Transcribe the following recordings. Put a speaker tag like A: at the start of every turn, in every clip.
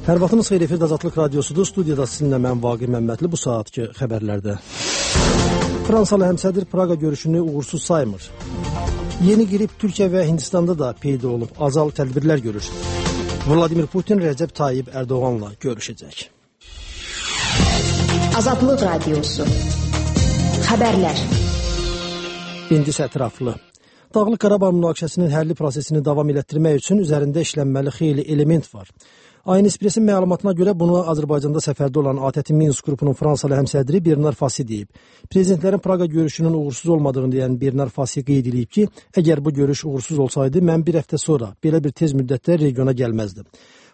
A: Hər vaxtınız xeyir, efirdə Azadlıq Radiosudur. Studiyada sizinlə mən Vaqif Məmmədli. Bu saatki xəbərlərdə. Fransalı həmsədr Praqa görüşünü uğursuz saymır. Yeni qrip Türkiyə və Hindistanda da peyda olub. Azal tədbirlər görür. Vladimir Putin Rəcəb Tayyip Ərdoğanla görüşəcək.
B: Azadlıq Radiosu. Xəbərlər.
A: İndi isə ətraflı. Dağlıq Qarabağ münaqişəsinin həlli prosesini davam elətdirmək üçün üzərində işlənməli xeyli element var. Ayın Espressin məlumatına görə bunu Azərbaycanda səfərdə olan ATƏT Minsk qrupunun Fransalı həmsədri Bernard Fassi deyib. Prezidentlərin Praqa görüşünün uğursuz olmadığını deyən Bernard Fassi qeyd edib ki, əgər bu görüş uğursuz olsaydı, mən bir həftə sonra belə bir tez müddətdə regiona gəlməzdim.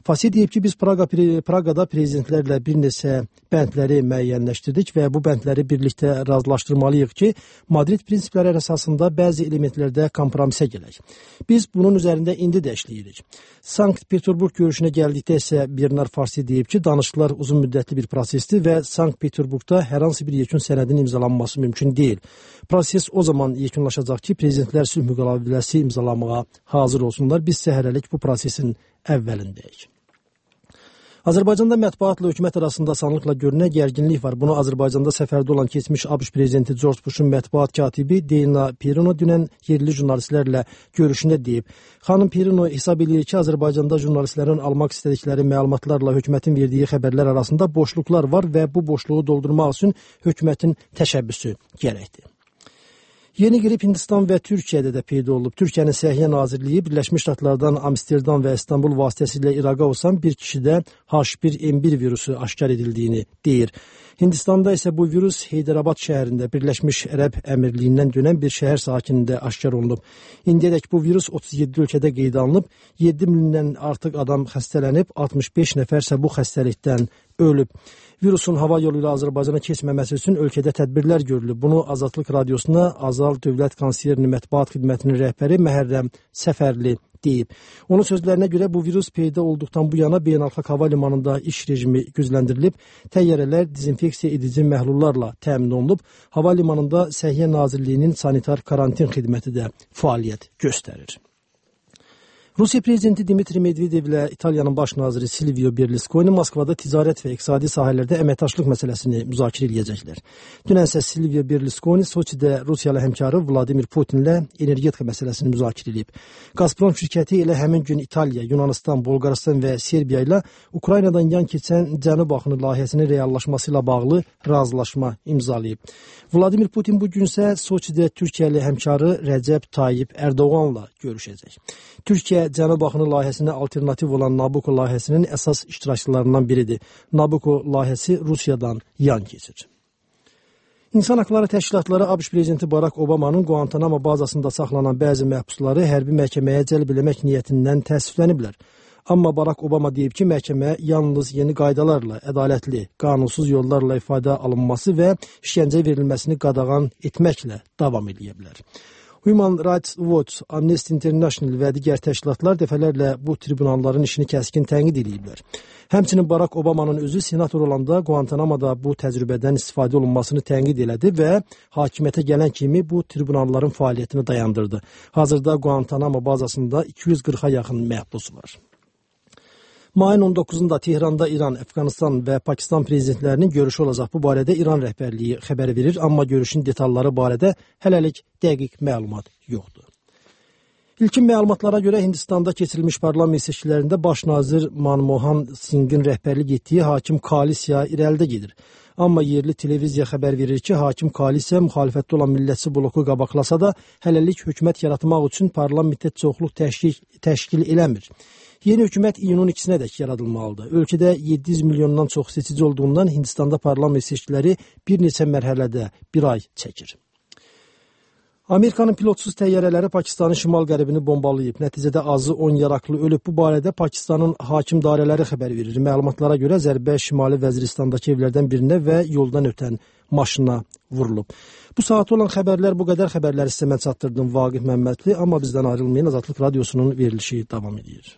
A: Fassi deyib ki, biz Praqada prezidentlərlə bir neçə bəndləri müəyyənləşdirdik və bu bəndləri birlikdə razılaşdırmalıyıq ki, Madrid prinsipləri əsasında bəzi elementlərdə kompromisə gələk. Biz bunun üzərində indi də işləyirik. Sankt-Peterburg görüşünə gəldikdə isə Bernard Fassi deyib ki, danışıqlar uzun müddətli bir prosesdir və Sankt-Peterburgda hər hansı bir yekun sənədin imzalanması mümkün deyil. Proses o zaman yekunlaşacaq ki, prezidentlər sülh müqaviləsi imzalamağa hazır olsunlar. Biz hələlik bu prosesin əvvəlindəyik. Azərbaycanda mətbuatla hökumət arasında asanlıqla görünən gərginlik var. Bunu Azərbaycanda səfərdə olan keçmiş ABŞ prezidenti George Bush'un mətbuat katibi Dana Perino dünən yerli jurnalistlərlə görüşündə deyib. Xanım Perino hesab edir ki, Azərbaycanda jurnalistlərin almaq istədikləri məlumatlarla hökumətin verdiyi xəbərlər arasında boşluqlar var və bu boşluğu doldurmaq üçün hökumətin təşəbbüsü gərəkdir. Yeni qrip Hindistan və Türkiyədə də peyda olub. Türkiyənin Səhiyyə Nazirliyi Birləşmiş Ştatlardan Amsterdam və İstanbul vasitəsilə İraqa uçan bir kişidə H1N1 virusu aşkar edildiyini deyir. Hindistanda isə bu virus Heydərabad şəhərində Birləşmiş Ərəb Əmirliyindən dönən bir şəhər sakinində aşkar olunub. İndiyədək bu virus 37 ölkədə qeydə alınıb, 7 mindən artıq adam xəstələnib, 65 nəfər isə bu xəstəlikdən ölüb. Virusun hava yolu ilə Azərbaycana keçməməsi üçün ölkədə tədbirlər görülüb. Bunu Azadlıq Radiosuna Azal Dövlət Konserni Mətbuat Xidmətinin rəhbəri Məhərrəm Səfərli deyib. Onun sözlərinə görə bu virus peyda olduqdan bu yana beynəlxalq hava limanında iş rejimi gücləndirilib, təyyarələr dezinfeksiya edici məhlullarla təmin olunub, hava limanında Səhiyyə Nazirliyinin sanitar karantin xidməti də fəaliyyət göstərir. Rusiya prezidenti Dmitri Medvedevlə İtaliyanın baş naziri Silvio Berlusconi Moskvada ticarət və iqtisadi sahələrdə əməkdaşlıq məsələsini müzakirə edəcəklər. Dünən isə Silvio Berlusconi Soçidə Rusiyalı həmkarı Vladimir Putinlə energetika məsələsini müzakirə edib. Gazprom şirkəti elə həmin gün İtaliya, Yunanistan, Bolqarıstan və Serbiya ilə Ukraynadan yan keçən Cənub axını layihəsinin reallaşması ilə bağlı razılaşma imzalayıb. Vladimir Putin bu gün isə Soçidə Türkiyəli həmkarı Rəcəb Tayyip Ərdoğanla görüşəcək. Türkiyə Cənub axını layihəsinə alternativ olan Nabucco layihəsinin əsas iştirakçılarından biridir. Nabucco layihəsi Rusiyadan yan keçir. İnsan Haqları Təşkilatları ABŞ prezidenti Barack Obamanın Guantanamo bazasında saxlanan bəzi məhbusları hərbi məhkəməyə cəlb eləmək niyyətindən təəssüfləniblər. Amma Barack Obama deyib ki, məhkəmə yalnız yeni qaydalarla, ədalətli, qanunsuz yollarla ifadə alınması və işgəncə verilməsini qadağan etməklə davam edə bilər. Human Rights Watch, Amnesty International və digər təşkilatlar dəfələrlə bu tribunalların işini kəskin tənqid ediblər. Həmçinin Barack Obamanın özü senator olanda Guantanamoda bu təcrübədən istifadə olunmasını tənqid elədi və hakimiyyətə gələn kimi bu tribunalların fəaliyyətini dayandırdı. Hazırda Guantanamo bazasında 240-a yaxın məhbus var. Mayın 19-da Tehranda İran, Əfqanistan və Pakistan prezidentlərinin görüşü olacaq. Bu barədə İran rəhbərliyi xəbər verir, amma görüşün detalları barədə hələlik dəqiq məlumat yoxdur. İlkin məlumatlara görə Hindistanda keçirilmiş parlament seçkilərində baş nazir Manmohan Singh'in rəhbərlik etdiyi hakim koalisiya irəlidə gedir. Amma yerli televiziya xəbər verir ki, hakim koalisiya müxalifətdə olan millətçi bloku qabaqlasa da, hələlik hökumət yaratmaq üçün parlamentdə çoxluq təşkil eləmir. Yeni hökumət iyunun 2-nədək yaradılmalıdır. Ölkədə 700 milyondan çox seçici olduğundan Hindistanda parlament seçkiləri bir neçə mərhələdə bir ay çəkir. Amerikanın pilotsuz təyyarələri Pakistanın şimal-qərbini bombalayıb. Nəticədə azı 10 yaraqlı ölüb. Bu barədə Pakistanın hakim dairələri xəbər verir. Məlumatlara görə zərbə Şimali Vəziristandakı evlərdən birinə və yoldan ötən maşına vurulub. Bu saat olan xəbərlər bu qədər. Xəbərləri sizə mən çatdırdım Vaqif Məmmədli, amma bizdən ayrılmayın. Azadlıq Radiosunun verilişi davam edir.